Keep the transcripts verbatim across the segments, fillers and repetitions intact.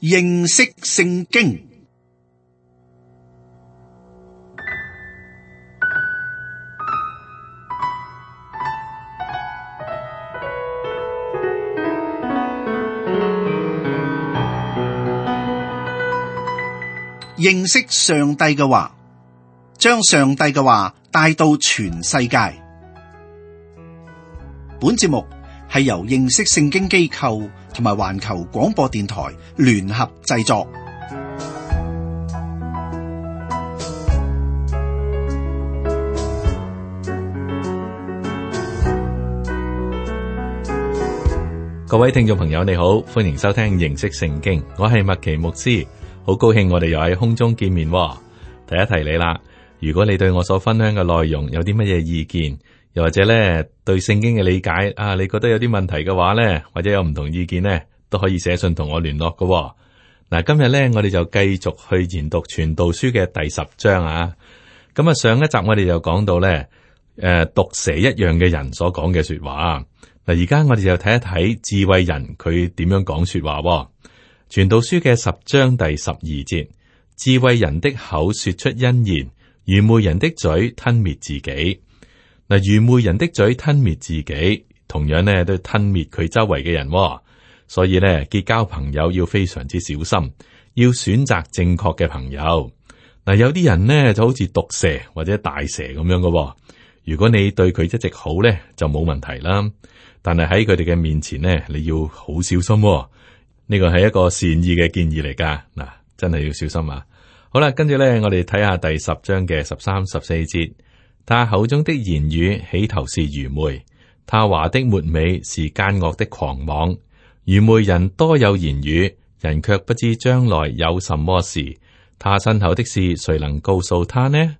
認識聖經。認識上帝嘅話，將上帝嘅話帶到全世界。本節目係由認識聖經機構同埋環球廣播電台聯合製作。各位聽眾朋友，你好，歡迎收聽認識聖經，我係麥奇牧師。好高興我哋又喺空中見面。提一提你啦，如果你對我所分享嘅內容有啲乜嘢意見，又或者咧對聖經嘅理解啊，你覺得有啲問題嘅話咧，或者有唔同意見咧，都可以寫信同我聯絡嘅。嗱，今日咧我哋就繼續去研讀傳道書嘅第十章啊。咁啊，上一集我哋就講到咧，誒，毒蛇一樣嘅人所講嘅說話。嗱，而家我哋就睇一睇智慧人佢點樣講說話。傳道書嘅十章第十二節，智慧人的口說出恩言，愚昧人的嘴吞滅自己。嗱，愚昧人的嘴吞滅自己，同樣呢都吞滅佢周圍嘅人。所以呢，結交朋友要非常之小心，要選擇正確嘅朋友。嗱，有啲人呢就好似毒蛇或者大蛇咁樣嘅。如果你對佢一直好呢，就冇問題啦。但係喺佢哋嘅面前呢，你要好小心。呢個係一個善意嘅建議嚟噶，嗱，真係要小心啊！好啦，跟住咧，我哋睇下第十章嘅十三、十四節。他口中的言語起頭是愚昧，他話的末尾是奸惡的狂妄。愚昧人多有言語，人卻不知將來有什麼事。他身後的事，誰能告訴他呢？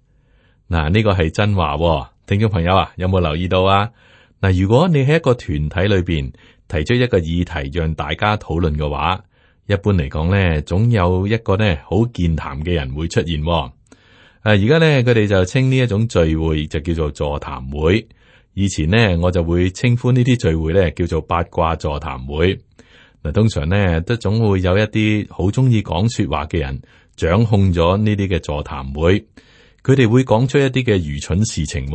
嗱，呢個係真話喎，聽眾朋友啊，有冇留意到啊？嗱，如果你喺一個團體裏邊提出一個議題讓大家討論嘅話，一般嚟講咧，總有一個咧好健談嘅人會出現。誒，而家咧佢哋就稱呢一種聚會就叫做座談會。以前呢，我就會稱呼呢啲聚會咧叫做八卦座談會。嗱，通常咧都總會有一啲好中意講說話嘅人掌控咗呢啲嘅座談會，佢哋會講出一啲嘅愚蠢事情，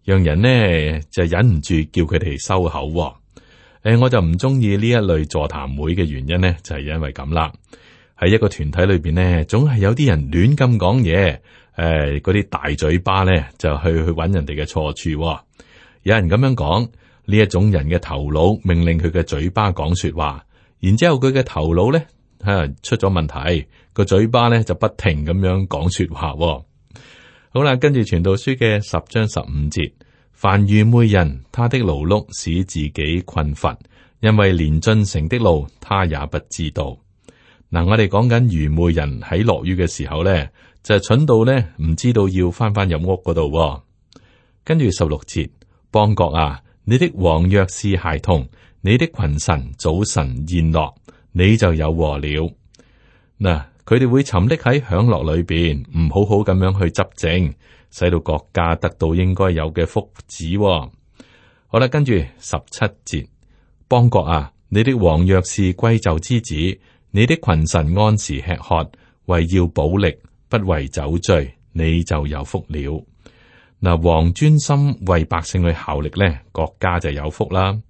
讓人呢就忍唔住叫佢哋收口。誒，我就唔中意呢一類座談會嘅原因呢，就係因為咁啦。喺一個團體裏邊呢，總係有啲人亂咁講嘢，誒，嗰啲大嘴巴呢，就去去揾人哋嘅錯處。有人咁樣講，呢一種人嘅頭腦命令佢嘅嘴巴講說話，然之後佢嘅頭腦呢，吓出咗問題，個嘴巴呢就不停咁樣講說話。好啦，跟住傳道書嘅十章十五節。凡愚昧人，他的勞碌使自己困乏，因為連進城的路他也不知道。嗱、嗯，我哋講緊愚昧人喺落雨嘅時候咧，就係、是、蠢到咧唔知道要翻翻入屋嗰度。跟住十六節，邦國啊，你的王若是孩童，你的群臣早晨宴樂，你就有禍了。嗱、嗯，佢哋會沉溺喺享樂裏邊，唔好好咁樣去執政，使到國家得到應該有嘅福祉。好啦，跟住十七節，邦國啊，你的王若是貴胄之子，你的群臣按時吃喝，為要補力，不為酒醉，你就有福了。嗱，王專心為百姓去效力呢，國家就有福啦。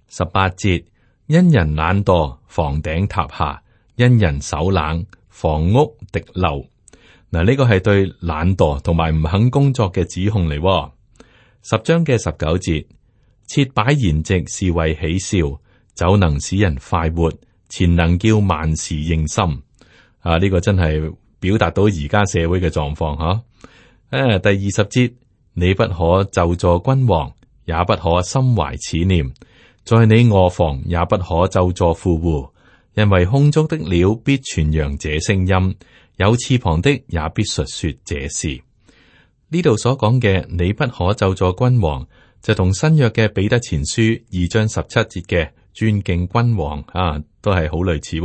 十八節，因人懶惰，房頂塌下；因人手冷，房屋滴漏。嗱，呢個係對懶惰同埋唔肯工作嘅指控嚟。十章嘅十九節，設擺筵席是為喜笑，酒能使人快活，錢能叫萬事應心。啊，呢、這個真係表達到而家社會嘅狀況嗬。誒、啊，第二十節，你不可咒詛君王，也不可心懷此念，在你臥房也不可咒詛富戶，因為空中的鳥必傳揚這聲音。有翅膀的也必述說這事。呢度所講嘅，你不可咒詛君王，就同新約嘅彼得前書二章十七節嘅尊敬君王啊，都係好類似。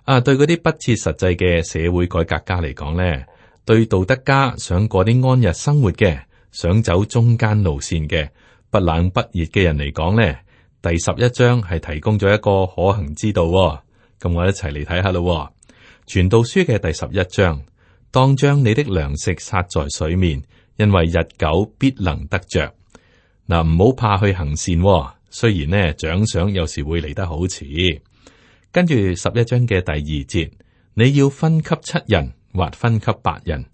啊，對嗰啲不切實際嘅社會改革家嚟講咧，對道德家想過啲安逸生活嘅，想走中間路線嘅，不冷不熱嘅人嚟講咧，第十一章係提供咗一個可行之道。咁咁我一齊嚟睇下咯。傳道書嘅第十一章，當將你的糧食撒在水面，因為日久必能得着。嗱，唔好怕去行善，雖然呢獎賞有時會嚟得好遲。跟住十一章嘅第二節，你要分給七人或分給八人，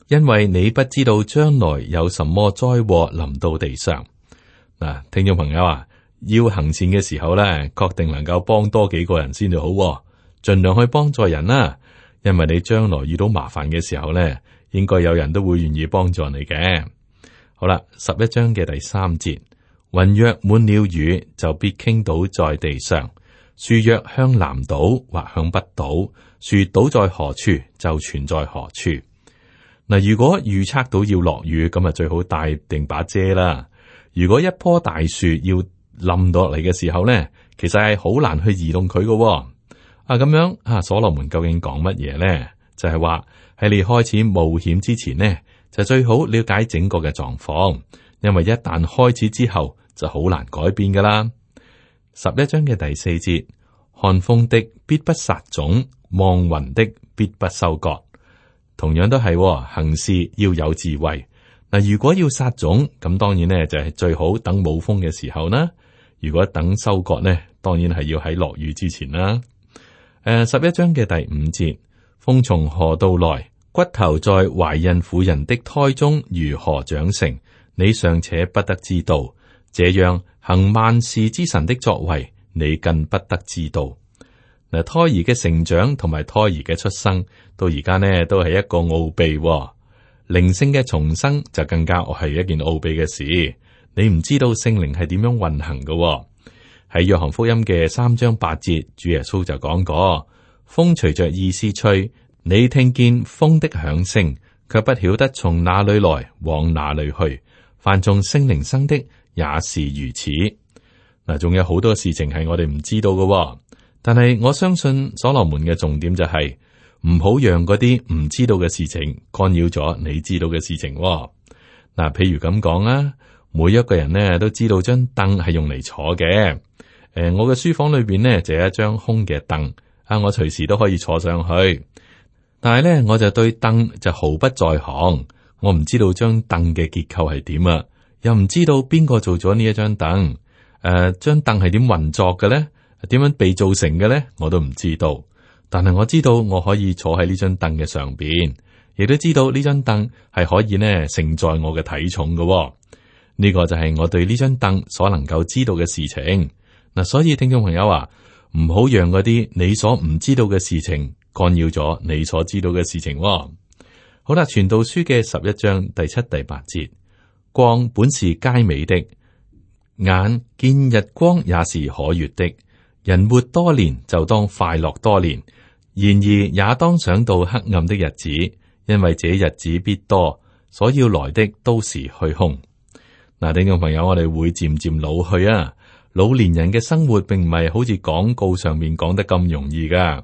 因為你不知道將來有什麼災禍臨到地上。嗱，聽眾朋友啊，要行善嘅時候咧，確定能夠幫多幾個人先至好，盡量去幫助人啦。因為你將來遇到麻煩嘅時候咧，應該有人都會願意幫助你嘅。好啦，十一章嘅第三節，雲若滿了雨，就必傾倒在地上；樹若向南倒或向北倒，樹倒在何處就存在何處。嗱，如果預測到要落雨，咁啊最好帶定把遮啦。如果一棵大樹要冧落嚟嘅時候咧，其實係好難去移動佢嘅。啊，咁樣啊，所羅門究竟講乜嘢咧？就係話喺你開始冒險之前呢，就最好了解整個嘅狀況，因為一旦開始之後就好難改變噶啦。十一章嘅第四節，看風的必不撒種，望雲的必不收割。同樣都係、哦、行事要有智慧。嗱，如果要撒種，咁當然呢就係最好等冇風嘅時候啦。如果等收割呢，當然係要喺落雨之前啦。誒、呃，十一章嘅第五節，風從何度來？骨頭在懷孕婦人的胎中如何長成？你尚且不得知道。這樣行萬事之神的作為，你更不得知道。嗱，胎兒嘅成長同埋胎兒嘅出生，到而家呢都係一個奧秘、哦。靈性嘅重生就更加係一件奧秘嘅事。你唔知道聖靈係點樣運行嘅、哦。喺約翰福音嘅三章八節，主耶穌就講過：風隨着意思吹，你聽見風的響聲，卻不曉得從哪裏來，往哪裏去。凡從聖靈生的也是如此。嗱，仲有好多事情係我哋唔知道嘅、哦，但係我相信所羅門嘅重點就係唔好讓嗰啲唔知道嘅事情干擾咗你知道嘅事情、哦。嗱，譬如咁講啊，每一個人呢都知道張凳係用嚟坐嘅。誒、呃，我嘅書房裏邊呢就有一張空嘅凳，啊，我隨時都可以坐上去。但係呢，我就對凳就毫不在行。我唔知道張凳嘅結構係點啊，又唔知道邊個做咗呢一張凳。誒、呃，張凳係點運作嘅咧？點樣被造成嘅咧？我都唔知道。但係我知道我可以坐喺呢張凳嘅上邊，亦都知道呢張凳係可以呢承載我嘅體重嘅、哦。呢、這個就係我對呢張凳所能夠知道嘅事情。嗱，所以聽眾朋友啊，唔好讓嗰啲你所唔知道嘅事情干擾咗你所知道嘅事情、哦。好啦，傳道書嘅十一章第七、第八節，光本是佳美的，眼見日光也是可悅的。人活多年就當快樂多年，然而也當想到黑暗的日子，因為這日子必多，所要來的都是虛空。嗱，聽眾朋友，我哋會漸漸老去啊，老年人嘅生活並唔係好似廣告上面講得咁容易噶。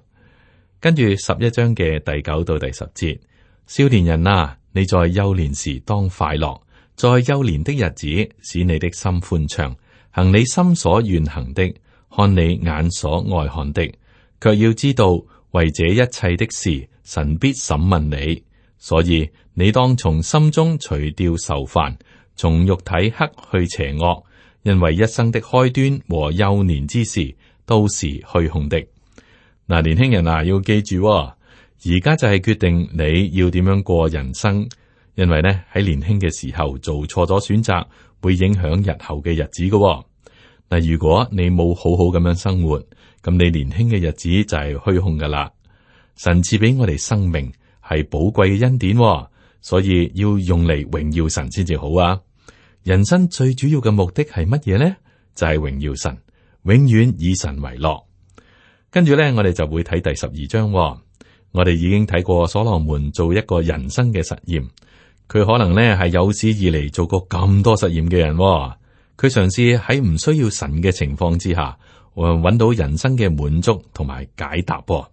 跟住十一章嘅第九到第十節。少年人啊，你在幼年時當快樂，在幼年的日子使你的心歡暢，行你心所願行的，看你眼所愛看的，卻要知道為這一切的事，神必審問你。所以你當從心中除掉愁煩，從肉體克去邪惡，因為一生的開端和幼年之事都是虛空的。嗱，年輕人啊，要記住喎。而家就係決定你要點樣過人生，因為咧喺年輕嘅時候做錯咗選擇，會影響日後嘅日子嘅、哦。嗱，如果你冇好好咁樣生活，咁你年輕嘅日子就係虛空噶啦。神賜俾我哋生命係寶貴嘅恩典、哦，所以要用嚟榮耀神先至好啊。人生最主要嘅目的係乜嘢咧？就係、是、榮耀神，永遠以神為樂。跟住咧，我哋就會睇第十二章、哦。我哋已經睇過所羅門做一個人生嘅實驗，佢可能呢係有史以嚟做過咁多實驗嘅人、哦。佢嘗試喺唔需要神嘅情況之下，搵到人生嘅滿足同埋解答、哦。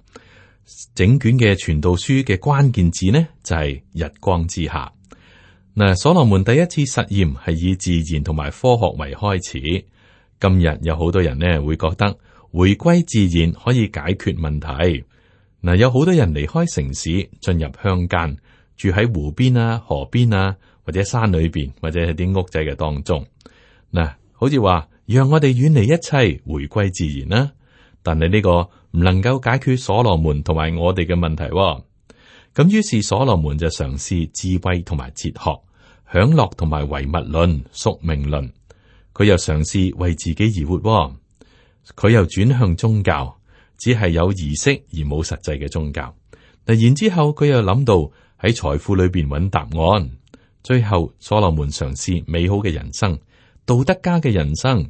整卷嘅傳道書嘅關鍵字呢就係、是、日光之下。嗱，所羅門第一次實驗係以自然同埋科學為開始。今日有好多人呢會覺得，回歸自然可以解決問題。嗱，有好多人離開城市，進入鄉間，住喺湖邊啊、河邊啊，或者山裏邊，或者係啲屋仔嘅當中。嗱，好似話讓我哋遠離一切，回歸自然啦。但係呢個唔能夠解決所羅門同埋我哋嘅問題。咁於是所羅門就嘗試智慧同埋哲學、享樂同埋唯物論、宿命論。佢又嘗試為自己而活。佢又轉向宗教，只係有儀式而冇實際嘅宗教。嗱，然之後佢又諗到喺財富裏邊揾答案。最後所羅門嘗試美好嘅人生、道德家嘅人生，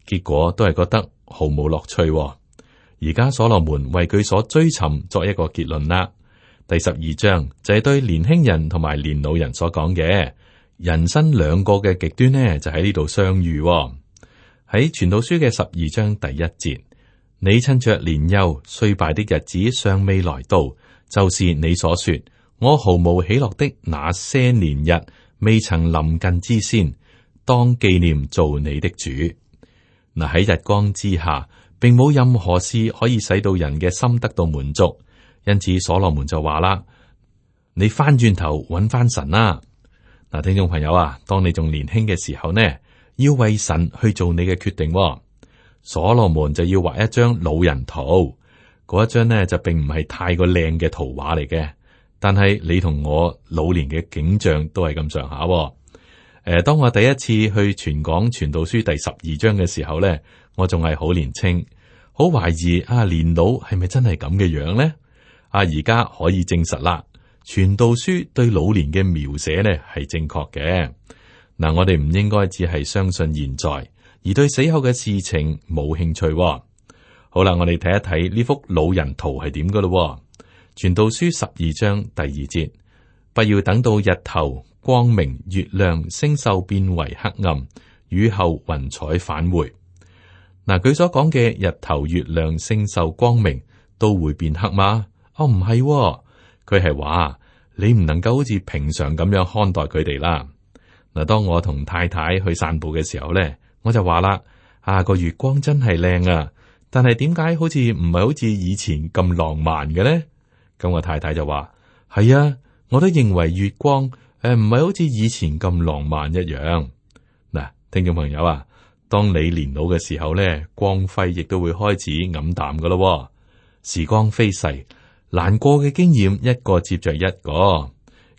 結果都係覺得毫無樂趣。而家所羅門為佢所追尋作一個結論啦。第十二章就係對年輕人同埋年老人所講嘅，人生兩個嘅極端呢，就喺呢度相遇。喺傳道書嘅十二章第一節，你趁着年幼衰敗的日子尚未來到，就是你所說我毫無喜樂的那些年日未曾臨近之先，當紀念做你的主。嗱，喺日光之下，並冇任何事可以使到人嘅心得到滿足，因此所羅門就話啦：你翻轉頭揾翻神啦！嗱，聽眾朋友啊，當你仲年輕嘅時候呢，要為神去做你嘅決定。所羅門就要畫一張老人圖，嗰一張呢就並唔係太過靚嘅圖畫嚟嘅，但係你同我老年嘅景象都係咁上下。誒，當我第一次去傳講傳道書第十二章嘅時候呢，我仲係好年青，好懷疑啊，年老係咪真係咁嘅樣呢？啊，而家可以證實啦，傳道書對老年嘅描寫呢係正確嘅。嗱，我哋唔應該只係相信現在，而對死後嘅事情冇興趣。好啦，我哋睇一睇呢幅老人圖係點噶咯。傳道書十二章第二節，不要等到日頭光明、月亮、星宿變為黑暗，雨後雲彩返回。嗱，佢所講嘅日頭、月亮、星宿、光明都會變黑嗎？哦，唔係，佢係話你唔能夠好似平常咁樣看待佢哋啦。嗱，當我同太太去散步嘅時候咧，我就話啦：啊，個月光真係靚啊！但係點解好似唔係好似以前咁浪漫嘅咧？咁我太太就話：係啊，我都認為月光誒唔係好似以前咁浪漫一樣。嗱，聽眾朋友啊，當你年老嘅時候咧，光輝亦都會開始黯淡噶咯。時光飛逝，難過嘅經驗一個接着一個，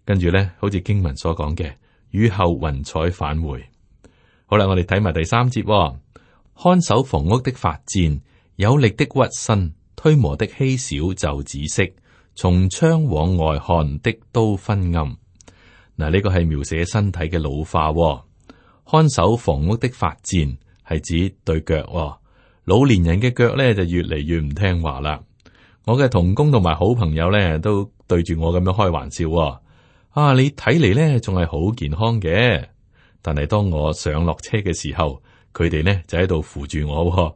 跟住咧，好似經文所講嘅，雨後雲彩返回。好啦，我哋睇埋第三節，哦，看守房屋的發顫，有力的屈身，推磨的稀少就止息，從窗往外看的都昏暗。嗱，呢個係描寫身體嘅老化，哦。看守房屋的發顫係指對腳，哦，老年人嘅腳咧就越嚟越唔聽話啦。我嘅同工同埋好朋友咧都對住我咁樣開玩笑，哦，啊，你睇嚟咧仲係好健康嘅，但係當我上落車嘅時候，佢哋咧就喺度扶住我，哦，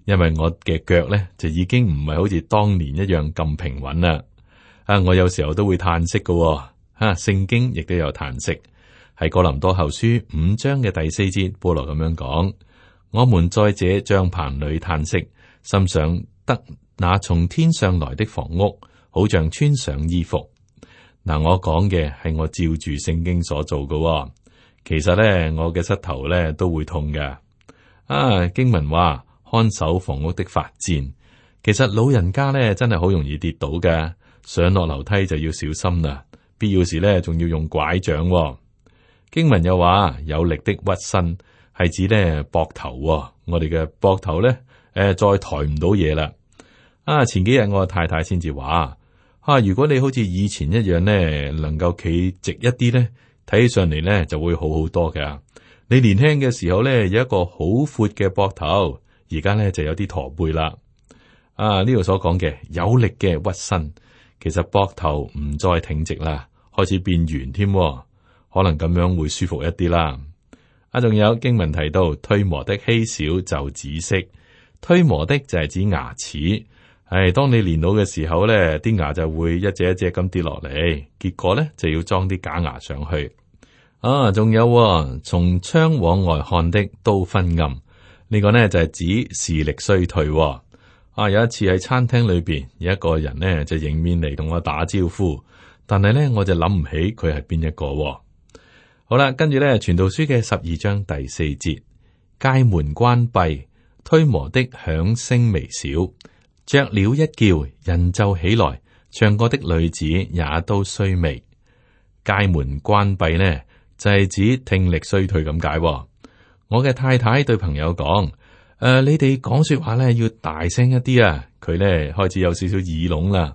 因為我嘅腳咧就已經唔係好似當年一樣咁平穩啦。啊，我有時候都會嘆息嘅，哦，啊，聖經亦都有嘆息，喺哥林多後書五章嘅第四節，保羅咁樣講：我們在這帳棚裏嘆息，心想得那從天上來的房屋，好像穿上衣服。嗱，我講嘅係我照住聖經所做嘅，哦，其實咧我嘅膝頭咧都會痛嘅。啊，經文話看守房屋的發顫，其實老人家咧真係好容易跌倒嘅，上落樓梯就要小心啦，必要時咧仲要用拐杖，哦。經文又話有力的屈身，係指咧膊頭，哦，我哋嘅膊頭咧誒再抬唔到嘢啦。啊，前幾日我太太先至話，啊，如果你好似以前一樣咧，能夠企直一啲咧，睇起上嚟咧就會好好多嘅。你年輕嘅時候咧有一個好闊嘅膊頭，而家咧就有啲駝背啦。啊，呢度所講嘅有力嘅屈身，其實膊頭唔再挺直啦，開始變圓添，可能咁樣會舒服一啲啦。啊，仲有經文提到推磨的稀少就止息，推磨的就係指牙齒。係，當你年老嘅時候咧，啲牙就會一隻一隻咁跌落嚟，結果咧就要裝啲假牙上去。啊，仲有從窗往外看的都昏暗，呢個呢就係指視力衰退。啊，有一次喺餐廳裏邊，有一個人呢就迎面嚟同我打招呼，但係呢，我就諗唔起佢係邊一個喎。好啦，跟住呢，傳道書嘅十二章第四節，街門關閉，推磨的響聲微小，雀鳥一叫，人就起來，唱歌的女子也都衰微。街門關閉呢，就係指聽力衰退咁解喎。我嘅太太對朋友講：誒、呃，你哋講說話咧要大聲一啲啊！佢咧開始有少少耳聾啦。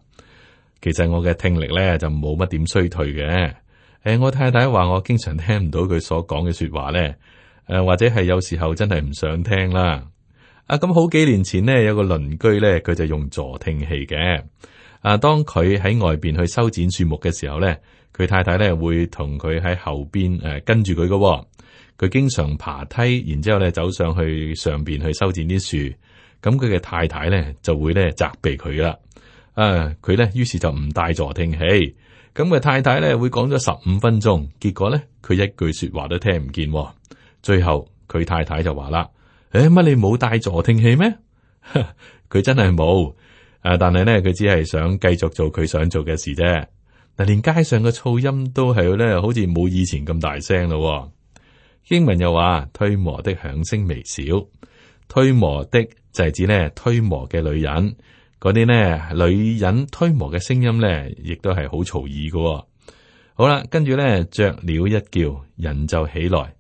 其實我嘅聽力咧就冇乜點衰退嘅。誒、呃，我太太話我經常聽唔到佢所講嘅說話咧。誒、呃，或者係有時候真係唔想聽啦。啊，咁好幾年前呢，有個鄰居咧，佢就用助聽器嘅。啊，當佢喺外邊去修剪樹木嘅時候咧，佢太太咧會同佢喺後邊誒、呃、跟住佢嘅。佢經常爬梯，然之後咧走上去上邊去修剪啲樹，咁佢嘅太太咧就會咧責備佢啦。啊，佢咧於是就唔帶助聽器，咁佢太太咧會講咗十五分鐘，結果咧佢一句說話都聽唔見。最後佢太太就話啦：誒，乜你冇帶助聽器咩？佢真係冇，誒，但係咧佢只係想繼續做佢想做嘅事啫。嗱，連街上嘅噪音都係咧，好似冇以前咁大聲咯。經文又話推磨的響聲微小，推磨的就係指咧推磨嘅女人，嗰啲呢女人推磨嘅聲音咧，亦都係好嘈耳嘅。好啦，跟住咧雀鳥一叫，人就起來。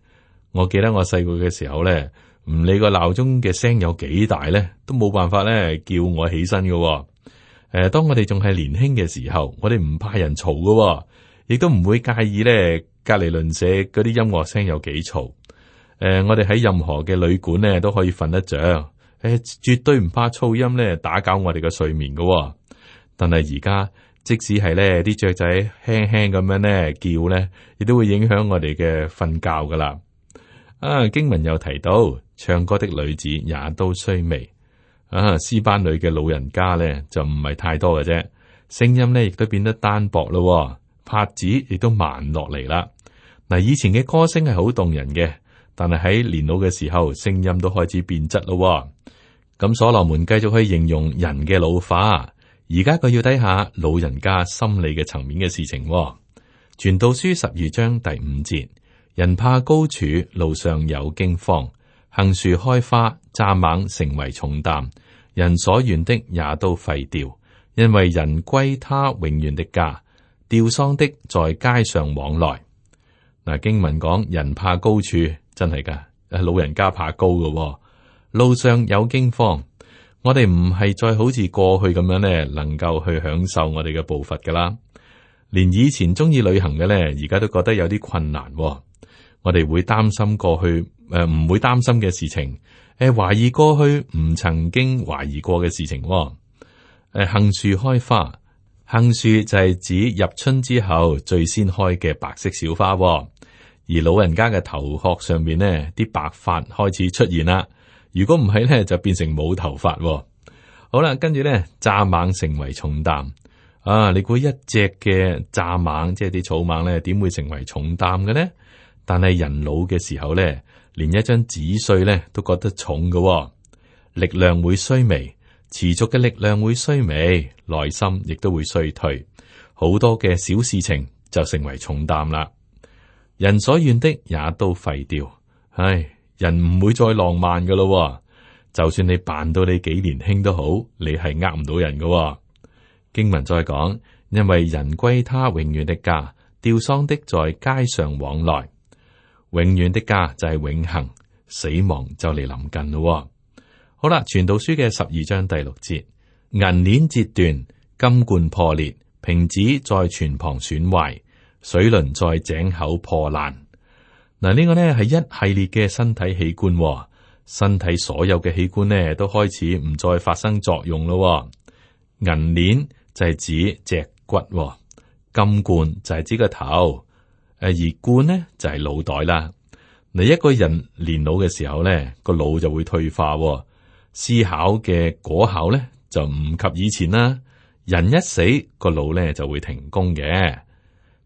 我記得我細個嘅時候咧，唔理個鬧鐘嘅聲有幾大咧，都冇辦法咧叫我起身嘅。誒、呃，當我哋仲係年輕嘅時候，我哋唔怕人嘈嘅，亦都唔會介意咧。隔籬鄰舍嗰啲音樂聲有幾嘈？誒、呃，我哋喺任何嘅旅館咧都可以瞓得着，誒、呃，絕對唔怕噪音咧打攪我哋嘅睡眠噶、哦。但係而家即使係咧啲雀仔輕輕咁樣咧叫咧，亦都會影響我哋嘅瞓覺噶啦。啊，經文又提到唱歌的女子也都衰微。啊，詩班裏嘅老人家咧就唔係太多嘅啫，聲音咧亦都變得單薄咯、哦。拍子亦都慢落嚟啦。嗱，以前嘅歌聲係好動人嘅，但係喺年老嘅時候，聲音都開始變質咯。咁所羅門繼續去形容人嘅老化，而家佢要睇下老人家心理嘅層面嘅事情。傳道書十二章第五節：人怕高處，路上有驚慌；杏樹開花，蚱蜢成為重擔；人所願的也都廢掉，因為人歸他永遠的家。吊喪的在街上往來。嗱，經文講人怕高處，真係噶，老人家怕高噶。路上有驚慌，我哋唔係再好似過去咁樣咧，能夠去享受我哋嘅步伐噶啦。連以前中意旅行嘅咧，而家都覺得有啲困難。我哋會擔心過去誒，唔、呃、會擔心嘅事情，誒、呃，懷疑過去唔曾經懷疑過嘅事情。誒、呃，杏樹開花。杏樹就係指入春之後最先開嘅白色小花，而老人家嘅頭殼上面呢啲白髮開始出現啦。如果唔係咧，就變成冇頭髮。好啦，跟住咧，蚱蜢成為重擔啊！你估一隻嘅蚱蜢，即係啲草蜢咧，點會成為重擔嘅呢？但係人老嘅時候咧，連一張紙碎咧都覺得重嘅，力量會衰微。持續嘅力量會衰微，內心亦都會衰退，好多嘅小事情就成為重擔啦。人所願的也都廢掉，唉，人唔會再浪漫噶咯。就算你扮到你幾年輕都好，你係呃唔到人噶。經文再講，因為人歸他永遠的家，吊喪的在街上往來，永遠的家就係永恆，死亡就嚟臨近咯。好啦，傳道書嘅十二章第六節，銀鏈折斷，金罐破裂，瓶子在泉旁損壞，水輪在井口破爛。嗱，呢個呢係一系列嘅身體器官，身體所有嘅器官呢都開始唔再發生作用咯。銀鏈就係指脊骨，金罐就係指個頭，誒而罐呢就係腦袋啦。嗱，一個人年老嘅時候呢，個腦就會退化。思考嘅果效咧就唔及以前啦。人一死，個腦咧就會停工嘅。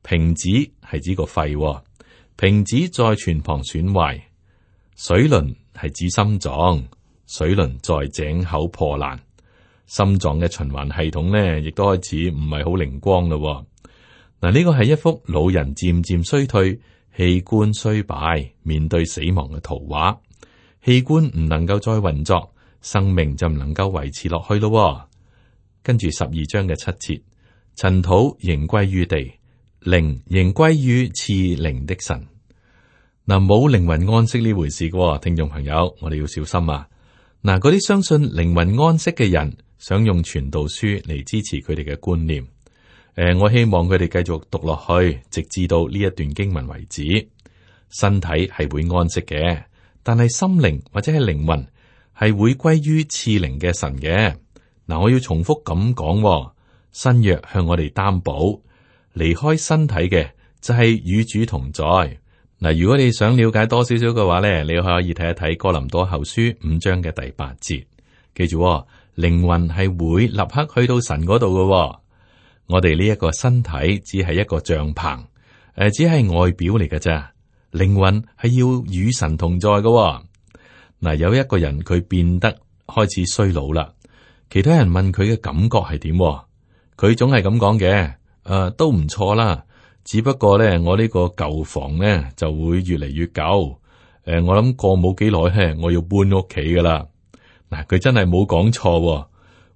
瓶子係指個肺，瓶子在泉旁損壞。水輪係指心臟，水輪在井口破爛。心臟嘅循環系統咧，亦都開始唔係好靈光咯。嗱，呢個係一幅老人漸漸衰退、器官衰敗、面對死亡嘅圖畫。器官唔能夠再運作，生命就唔能夠維持落去咯。跟住十二章嘅七節，塵土仍歸於地，靈仍歸於賜靈的神。嗱，冇靈魂安息呢回事嘅，聽眾朋友，我哋要小心啊！嗱，嗰啲相信靈魂安息嘅人，想用傳道書嚟支持佢哋嘅觀念。誒、呃，我希望佢哋繼續讀落去，直至到呢一段經文為止。身體係會安息嘅，但係心靈或者係靈魂係會歸於賜靈嘅神嘅。嗱，我要重複咁講，新約向我哋擔保，離開身體嘅就係與主同在。嗱，如果你想了解多少少嘅話咧，你可以睇一睇哥林多後書五章嘅第八節。記住，靈魂係會立刻去到神嗰度嘅。我哋呢一個身體只係一個帳篷，誒，只係外表嚟嘅咋。靈魂係要與神同在嘅。嗱，有一個人佢變得開始衰老啦，其他人問佢嘅感覺係點，佢總係咁講嘅，誒、呃，都唔錯啦。只不過咧，我呢個舊房咧就會越嚟越舊。誒、呃，我諗過冇幾耐咧，我要搬屋企噶啦。嗱，佢真係冇講錯，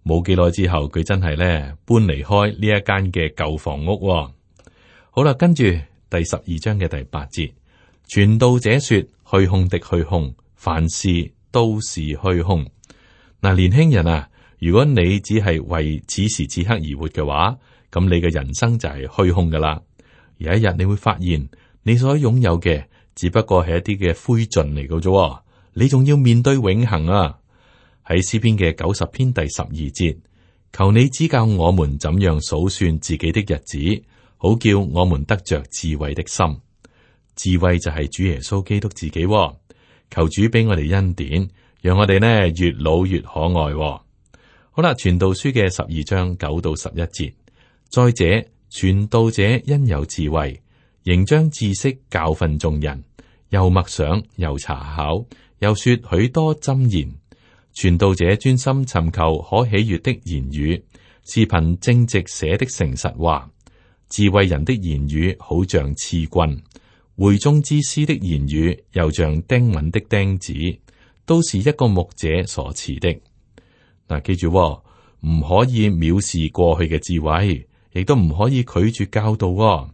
冇幾耐之後，佢真係咧搬離開呢一間嘅舊房屋。好啦，跟住第十二章嘅第八節，傳道者說：虛空的虛空，凡事都是虛空。嗱，年輕人啊，如果你只係為此時此刻而活嘅話，咁你嘅人生就係虛空噶啦。有一日你會發現，你所擁有嘅只不過係一啲嘅灰燼嚟嘅啫，你仲要面對永恆啊！喺詩篇嘅九十篇第十二節，求你指教我們怎樣數算自己的日子，好叫我們得着智慧的心。智慧就係主耶穌基督自己，求主俾我哋恩典，讓我哋呢越老越可愛。好啦，傳道書嘅十二章九到十一節，再者。傳道者因有智慧，仍將知識教訓眾人，又默想，又查考，又說許多箴言。傳道者專心尋求可喜悅的言語，是憑正直寫的誠實話。智慧人的言語好像刺棍，會中之師的言語又像釘穩的釘子，都是一個牧者所賜的。嗱，記住，唔可以藐視過去嘅智慧。亦都唔可以拒絕教導喎。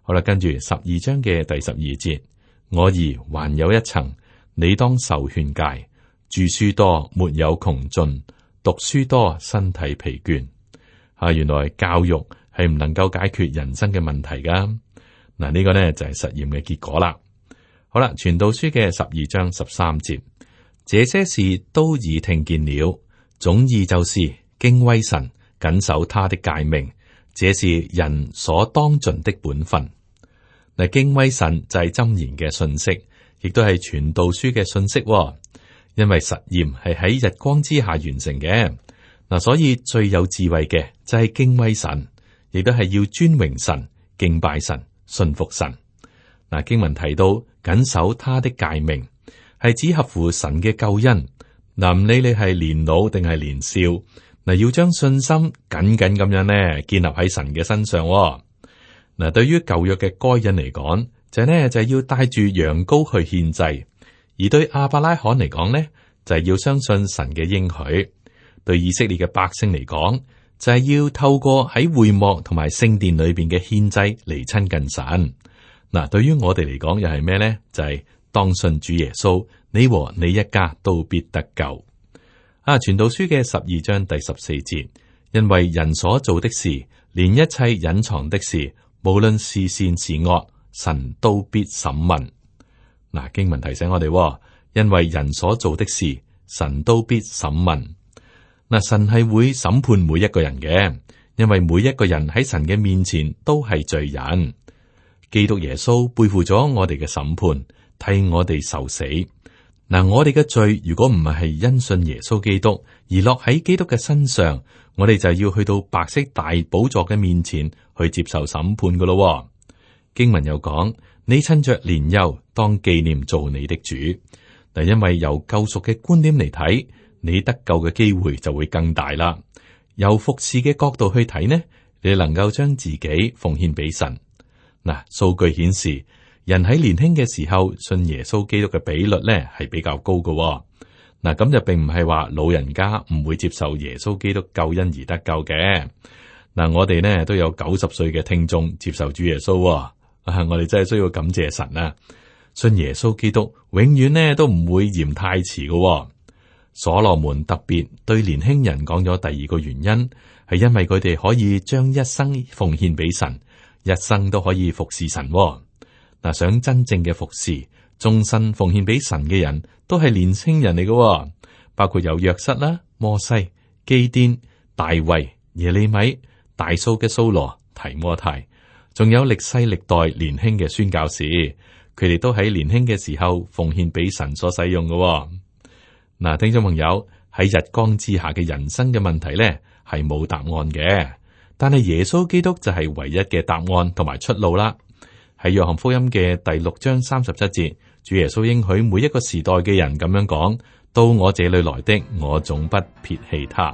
好啦，跟住十二章嘅第十二節，我兒還有一層，你當受勸戒。著書多沒有窮盡，讀書多身體疲倦。啊，原來教育係唔能夠解決人生嘅問題噶。嗱，呢個呢就係實驗嘅結果啦。好啦，傳道書嘅十二章十三節，這些事都已聽見了，總意就是敬畏神，謹守他的誡命。這是人所當盡的本分。嗱，敬畏神就係箴言嘅信息，亦都係傳道書嘅信息。因為實驗係喺日光之下完成嘅。嗱，所以最有智慧嘅就係敬畏神，亦都係要尊榮神、敬拜神、信服神。嗱，經文提到謹守他的誡命，係指合乎神嘅救恩。嗱，唔理你係年老定係年少。嗱，要將信心緊緊咁樣咧建立喺神嘅身上。嗱，對於舊約嘅該隱嚟講，就係呢就係要帶住羊羔去獻祭；而對亞伯拉罕嚟講呢，就係要相信神嘅應許；對以色列嘅百姓嚟講，就係要透過喺會幕同埋聖殿裏邊嘅獻祭嚟親近神。嗱，對於我哋嚟講又係咩呢？就係當信主耶穌，你和你一家都必得救。啊！傳道書嘅十二章第十四節，因為人所做的事，連一切隱藏的事，無論是善是惡，神都必審問。嗱、啊，經文提醒我哋，因為人所做的事，神都必審問。嗱、啊，神係會審判每一個人嘅，因為每一個人喺神嘅面前都係罪人。基督耶穌背負咗我哋嘅審判，替我哋受死。嗱，我哋嘅罪如果唔係因信耶穌基督而落喺基督嘅身上，我哋就要去到白色大寶座嘅面前去接受審判噶咯。經文又講，你趁着年幼當紀念做你的主。嗱，因為由救贖嘅觀點嚟睇，你得救嘅機會就會更大啦。由服侍嘅角度去睇呢，你能夠將自己奉獻俾神。嗱，數據顯示，人喺年輕嘅時候信耶穌基督嘅比率呢係比較高嘅。嗱，咁就並唔係話老人家唔會接受耶穌基督救恩而得救嘅。嗱，我哋呢都有九十歲嘅聽眾接受主耶穌，啊，我哋真係需要感謝神啊！信耶穌基督永遠呢都唔會嫌太遲嘅。所羅門特別對年輕人講咗第二個原因，係因為佢哋可以將一生奉獻俾神，一生都可以服侍神。嗱，想真正嘅服侍，終身奉獻俾神嘅人都係年輕人嚟嘅，包括有約瑟啦、摩西、基甸、大衛、耶利米、大數嘅掃羅、提摩太，仲有歷世歷代年輕嘅宣教士，佢哋都喺年輕嘅時候奉獻俾神所使用嘅。嗱，聽眾朋友，喺日光之下嘅人生嘅問題咧，係冇答案嘅，但係耶穌基督就係唯一嘅答案同埋出路啦。喺約翰福音嘅第六章三十七節，主耶穌應許每一個時代嘅人咁樣講：到我這裏來的，我總不撇棄他。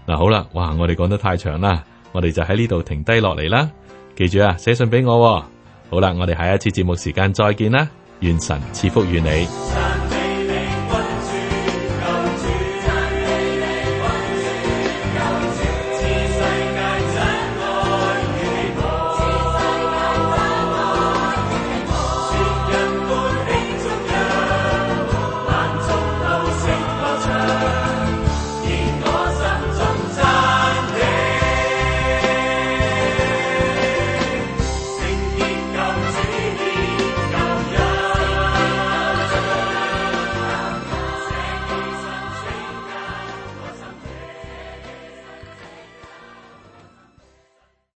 嗱，好啦，哇，我哋講得太長啦，我哋就喺呢度停低落嚟啦。記住啊，寫信俾我。好啦，我哋下一次節目時間再見啦，願神賜福於你。